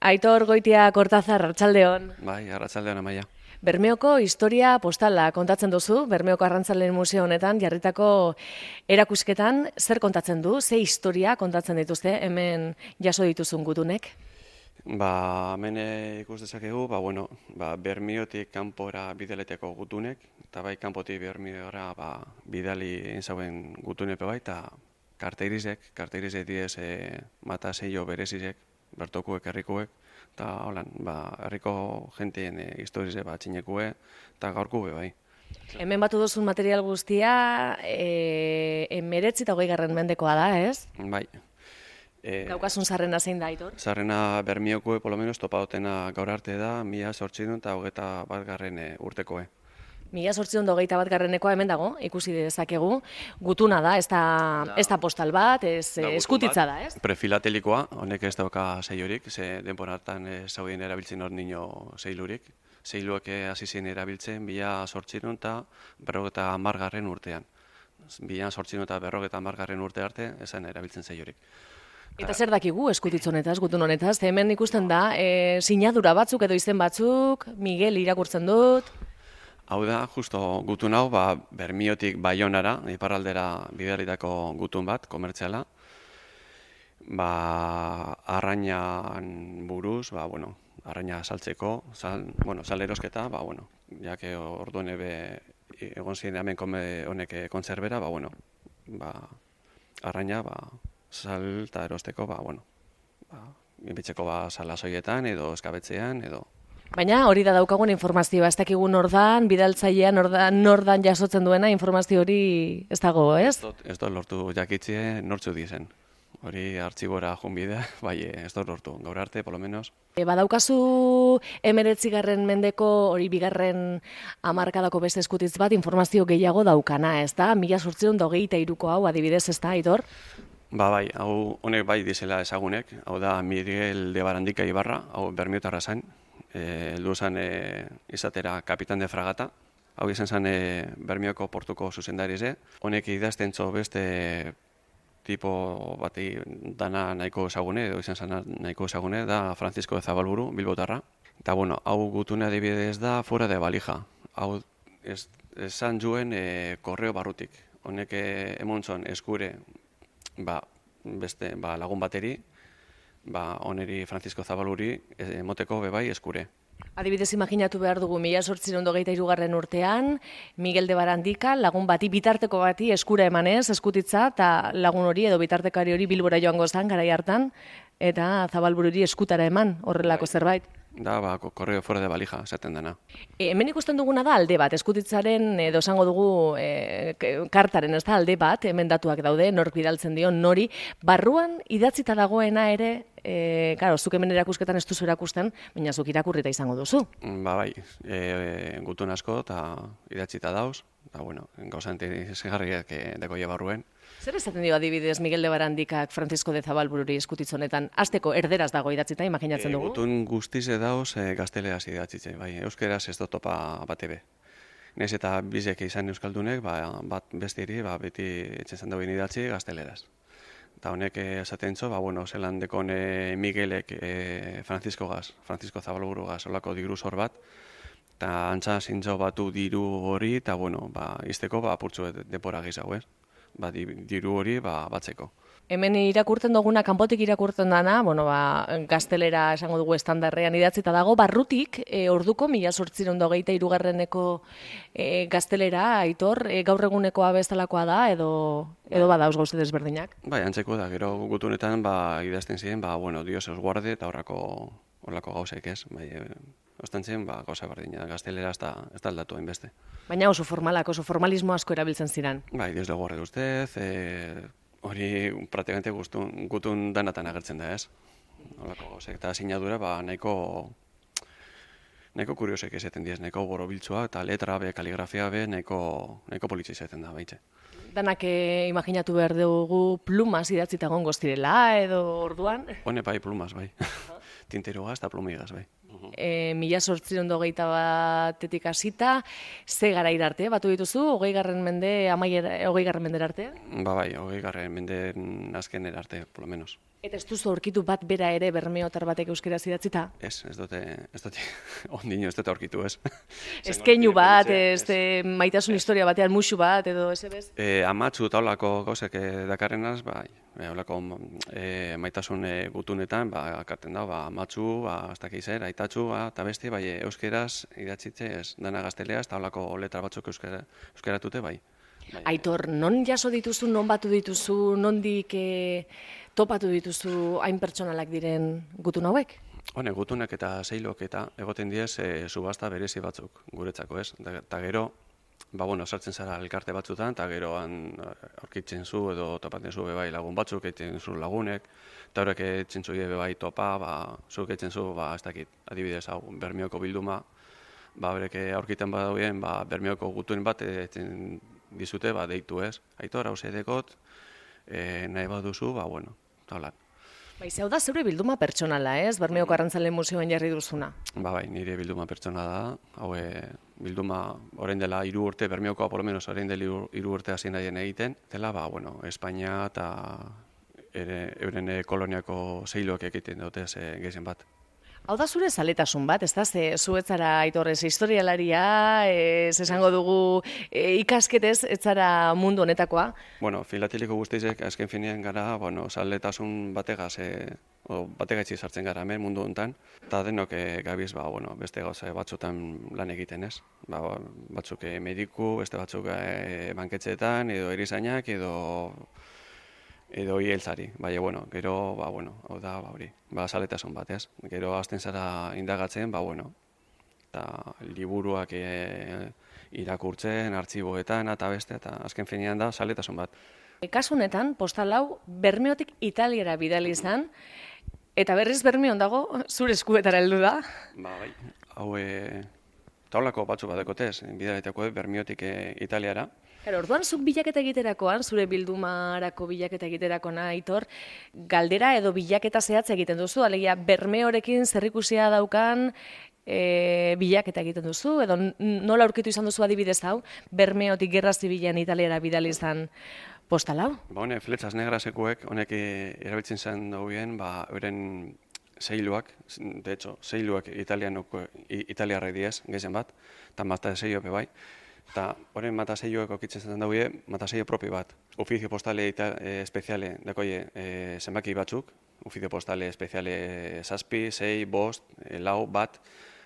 Aitor Goitia Kortazar, arratsaldeon. Bai, arratsaldeon Amaia. Bermeoko historia postala kontatzen duzu, Bermeoko Arrantzaleen Museo honetan jarritako erakusketan, zer kontatzen du, ze historia kontatzen dituzte hemen jaso dituzun gutunek? Hemen ikus dezakegu, Bermiotik kanpora bidaleteko gutunek, eta bai kanpotik Bermiora bidali egin zauen gutunepe bai, eta karteirizek diez mata seio berezizek, bertokuek, herrikuek, eta holan, herriko jenteen historize txinekue, eta gaurkue bai. Hemen batu duzun material guztia, 19 eta 20. mendekoa da, ez? Bai. Daukasun zarrena zein da, Aitor? Zarrena Bermiokue, polo menos, topa dutena gaur arte da, 1821 urtekoe. 1821 hemen dago, ikusi dezakegu, gutuna da, ez da postal bat, eskutitza da, ez? Prefilatelikoa, honek ez dauka seiorik, ze denboratan zaudien erabiltzen hor nino zeilurik. Zeiluak hasi zen erabiltzen 1800 eta 1950 urtean. 1800 eta 1950 urte arte esan erabiltzen zeiorik. Eta zer dakigu eskutitz honetaz, gutun honetaz? Hemen ikusten da, sinadura batzuk edo izen batzuk, Miguel irakurtzen dut. Hau da, justo gutun hau, Bermiotik Baionara, iparraldera bidalitako gutun bat, komertziala. Arrainan buruz, arraina saltzeko, sal erosketa, jake orduan egon ziren hemen honek kontzerbera, arraina, sal eta erosteko, inbitzeko salasoietan edo eskabetzean edo. Baina hori da daukagun informazioa, ez dakigu nordan, bidaltzailea nordan jasotzen duena informazio hori ez dago, ez? Ez dut lortu jakitzie nortzu dizen. Hori artxibora junbidea, ez dut lortu, gaur arte, polo menos. Badaukazu 19. mendeko hori bigarren hamarkadako beste eskutitz bat informazio gehiago daukana, ez da? 1823ko hau adibidez, ez da, Aitor? Hau honek bai dizela ezagunek, hau da Miguel de Barandika Ibarra, hau Bermiotarra zain, heldu zen izatera kapitan de fragata, hau izan zen Bermioko portuko zuzendarize, honek idaztentzo beste tipo bati dana nahiko ezagune, edo izan zen nahiko ezagune, da Francisco de Zabalburu, Bilbotarra. Eta hau gutune adibidez da fuera de balija, hau esan juen korreo barrutik, honek emontzon eskure beste lagun bateri, oneri Francisco Zabaluri emoteko bebai eskure. Adibidez, imaginatu behar dugu 1823 urtean, Miguel de Barandika lagun bati, bitarteko bati eskura emanez, eskutitza, eta lagun hori edo bitartekari hori Bilbora joango zen, garai hartan, eta Zabalbururi eskutara eman horrelako zerbait. Da, korreo fuera de balija, esaten dena. Hemen ikusten duguna da alde bat, eskutitzaren edo esango dugu kartaren, ez da alde bat, hemen datuak daude, nork bidaltzen dio, nori, barruan idatzita dagoena ere, zuk hemen erakusketan ez duzu erakusten, baina zuk irakurrita izango duzu. Gutun asko eta idatzita dauz, eta gauza interesgarriak dekoia barruen. Zer esaten dio adibidez Miguel de Barandikak Francisco de Zabalbururi eskutitz honetan? Hasteko erderaz dago idatzita, imaginatzen dugu? Gutun guztize dauz gazteleraz idatzitzen, euskeraz ez dut topa batebe. Nez eta bizek izan euskaldunek, bat bestiri, beti etxezan dauen idatzi gazteleraz. Eta honek esaten zo, zelan dekon Miguelek Francisco Zabalburu gaz, olako diru zor bat, eta antza zintzo batu diru hori, eta izteko apurtzu depora gizago, ez? Diru hori batzeko. Hemen irakurtzen duguna, kanpotik irakurtzen dana, gaztelera esango dugu estandarrean idatzita dago, barrutik, orduko 1823ko gaztelera, Aitor, gaur egunekoa bezalakoa da, edo badauz gauze desberdinak? Antzeko da, gero gutunetan idazten ziren, Dios os guarde eta horrako gauzek ez, ostantzen gauza berdina, gaztelera ez da aldatu hainbeste. Baina oso formalak, oso formalismo asko erabiltzen ziren. Dios le guarde ustez, hori praktikamente gutun danatan agertzen da, ez? Horako gauzek, eta sinadura nahiko kuriosek esaten diez, nahiko borobiltzua, eta letra be, kaligrafia be, nahiko politxe izaten da, baitxe. Danak imaginatu behar dugu plumas idatzita gongo zirela, edo orduan? Hone plumas, tinterugaz eta plumigaz, 1821etik hasita, ze garaira arte, batu dituzu, 20. mende, 20. mendera arte? 20. menden azkenera arte, por lo menos. Eta ez duzu aurkitu bat bera ere bermeotar batek euskeraz idatzita? Ez dute, ondino ez dute aurkitu, ez. Ez keinu bat, maitasun historia batean musu bat, edo ez ebez? Amatsu eta holako gauzek dakarrenaz, holako maitasun gutunetan, akarten da, amatsu, ez dakiz aitatxu, eta beste, euskeraz idatzitze ez, dana gazteleaz, eta holako letra batzuk euskeratute, bai. Aitor, non jaso dituzu, non batu dituzu, nondik topatu dituzu hain pertsonalak diren gutun hauek? Hone, gutunak eta zeilok eta egoten diez subasta berezi batzuk guretzako, ez? Eta gero, sartzen zara elkarte batzutan, eta geroan aurkitzen zu edo topatzen zu bebai lagun batzuk, egiten zu lagunek, eta horrek egiten zu bebai topa, zuk egiten zu, ez dakit, adibidez, hau, Bermeoko bilduma, horrek aurkiten badauen, Bermeoko gutuen bat egiten dizute, deitu ez. Aitor, hau zedekot, nahi baduzu, talan. Hau da zeure bilduma pertsonala, ez? Bermeoko Arrantzale Museoan jarri duzuna. Bai, nire bilduma pertsonala da. Hau, bilduma orain dela 3 urte, Bermeokoa, por lo menos, orain dela 3 urte hasi nahien egiten. Dela, Espainia eta euren koloniako zeiloak egiten dute gehizen bat. Hau da zure zaletasun bat, ez da? Zuetzara Aitorrez historialaria, esango dugu ikasketez, etzara mundu honetakoa? Filateliko guztizek, azken finean gara, zaletasun bategaitzi sartzen gara hemen mundu honetan, eta denok gabiz, beste gauza batzutan lan egiten ez. Batzuk mediku, beste batzuk banketxeetan, edo erizainak, edo hieltzari, gero, hau da, hori, zaletasun bat, ez? Gero hasten zara indagatzen, eta liburuak irakurtzen, artxiboetan, eta beste, eta azken finean da, zaletasun bat. Kasu honetan, postal hau, Bermeotik Italiara bidali izan, eta berriz Bermeon dago, zure eskuetara heldu da? Bai, hau, taulako batzu badekotez, bidalitako Bermeotik Italiara. Orduan, zuk bilaketa egiterakoan, zure bildumarako bilaketa egiterakoan, Aitor, galdera edo bilaketa zehatza egiten duzu, alegia Bermeorekin zerrikusia daukan bilaketa egiten duzu, edo nola aurkitu izan duzu adibidez hau, Bermeotik Gerra Zibilean Italiara bidali izan postal hau? Flechas Negrasekuek, honek erabiltzen zen dauen, euren zeiluak, de hecho, zeiluak italiarrek diez, gehizen bat, eta mata zeilo bai. Eta horren mataseioek okitzen zen daude, mataseio propio bat. Ofizio postale espeziale, dakoie, zenbaki batzuk, ofizio postale espeziale 7, 6, 5, 4, bat,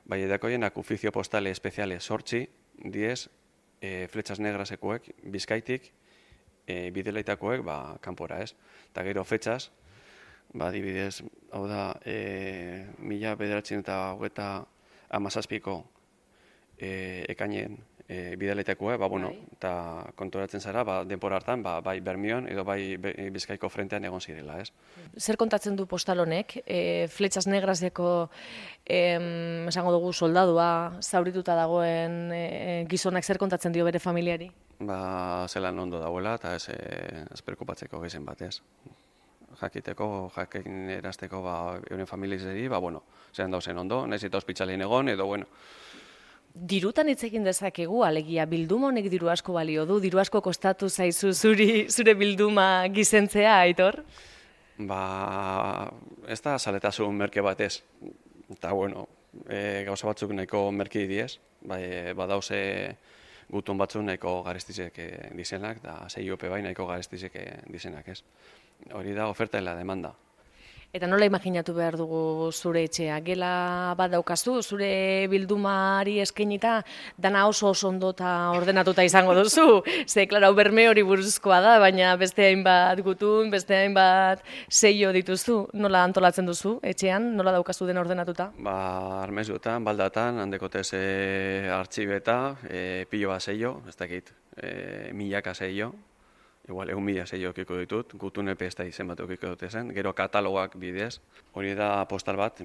bai dakoienak ofizio postale espeziale 8, 10, Flechas Negrasekuek, Bizkaitik, bidelaitakoek, kanpora ez. Eta gero fetxas, adibidez, hau da, 1957ko ekainen bidaletakoa, eta kontoratzen zara, denpora hartan, bai Bermeon edo bai Bizkaiko frentean egon zirela, ez? Zer kontatzen du postal honek? Flechas Negraseko, esango dugu, soldadua, zaurituta dagoen gizonak zer kontatzen dio bere familiari? Zelan ondo dagoela, eta ez perkupatzeko gezen bat, ez? Jakiteko, jakin erazteko euren familizeri, zelan dauzen ondo, nahiz eta ospitzaleen egon, edo, Dirutan hitz egin dezakegu, alegia bilduma honek diru asko balio du, diru asko kostatu zaizu zure bilduma gizentzea, Aitor? Ez da zaletasun merke batez. Eta, gauza batzuk nahiko merki diez, badauze gutun batzuk nahiko garestizek dizenak, eta zeiope bai nahiko garestizek dizenak, ez. Hori da oferta eta demanda. Eta nola imaginatu behar dugu zure etxea? Gela bat daukazu, zure bildumari eskainita, dana oso ondo eta ordenatuta izango duzu. Ze, klaro, Bermeori buruzkoa da, baina beste hainbat gutun, beste hainbat seio dituzu. Nola antolatzen duzu etxean? Nola daukazu dena ordenatuta? Armezuetan, baldatan, handekotez artxibeta, pilo bat seio, ez dakit, milaka seio. Igual, 1.000 seio okiko ditut, gutun epe ez da izen bat okiko dute zen, gero katalogak bidez. Hori da postal bat,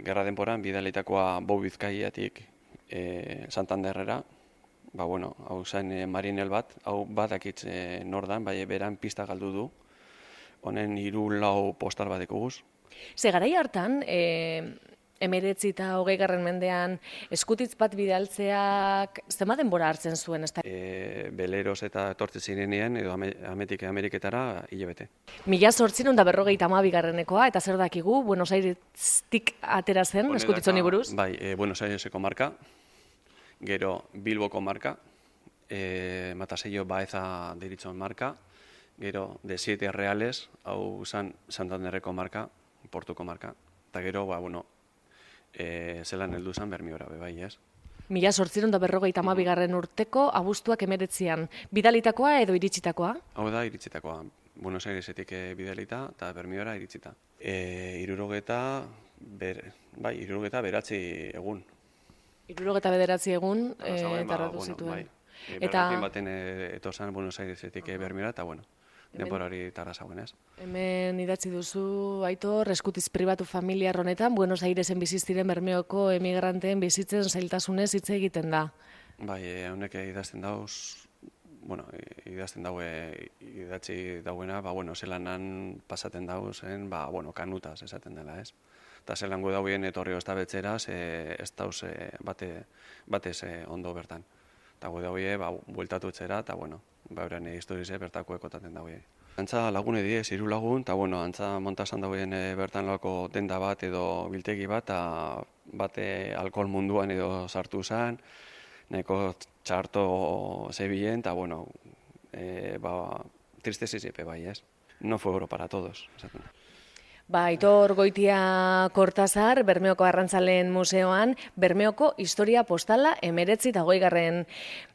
gerra denporan, bidalitakoa Bou Bizkaiatik Santanderrera. Hau zen marinel bat, hau badakitz nordan, beran pista galdu du. Honen 3-4 postal bat ekuguz. Ze garai hartan, 19 eta 20. mendean eskutitz bat bidaltzeak zenbat denbora hartzen zuen? Beleroz eta etortzen zirenean, edo Ametik Ameriketara hilabete. 1852. Eta zer dakigu, Buenos Airestik atera zen eskutitz honi buruz? Bai, Buenos Aireseko marka, gero Bilboko marka, Matasello Baeza deritzon marka, gero de 7 reales, hau zan Santanderreko marka, Portuko marka, eta gero, zelan heldu zen Bermiora, bai, ez? 1852. urteko abuztuak 19an. Bidalitakoa edo iritsitakoa? Hau da, iritsitakoa. Buenos Airesetik bidalita eta Bermiora iritsita. 69 egun. 69 egun tardatu zituen. Bai. Bergatin baten etozan Buenos Airesetik Bermiora, eta denbora hori tarra zauen, ez? Hemen idatzi duzu, Aitor, eskutiz pribatu familiar honetan, Buenos Airesen biziziren Bermeoko emigranteen bizitzen zailtasunez hitz egiten da. Bai, honek idazten dauz, idatzi dauena, zelanan pasaten dauzen, kanutaz esaten dela, ez? Eta zelango dauen etorri oztabetzeraz, ez dauz batez ondo bertan. Eta gu daue, bueltatu etxera, eta euren historize bertako ekotaten daue. Antza lagune diez, 3 lagun, eta antza montasan dauen bertan lako denda bat edo biltegi bat, eta bate alkohol munduan edo sartu zen, neko txarto zebilen, eta tristeziziepe bai, ez? No fue oro para todos. Aitor Goitia Kortazar, Bermeoko Arrantzaleen Museoan, Bermeoko historia postala 19 eta 20.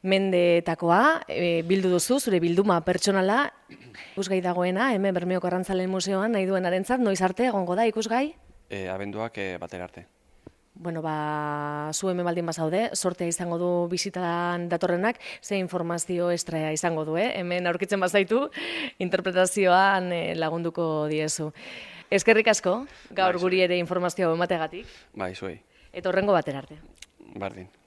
mendetakoa bildu duzu, zure bilduma pertsonala, ikusgai dagoena, hemen Bermeoko Arrantzaleen Museoan, nahi duen arentzat, noiz arte egongo da ikusgai? Abenduak batera arte. Zu hemen baldin bazaude, sortea izango du bisitan datorrenak, ze informazio estrea izango du, hemen aurkitzen bazaitu, interpretazioan lagunduko diezu. Eskerrik asko, gaur guri ere informazioa emategatik. Bai, zuei. Eta horrengo batera arte. Bardin.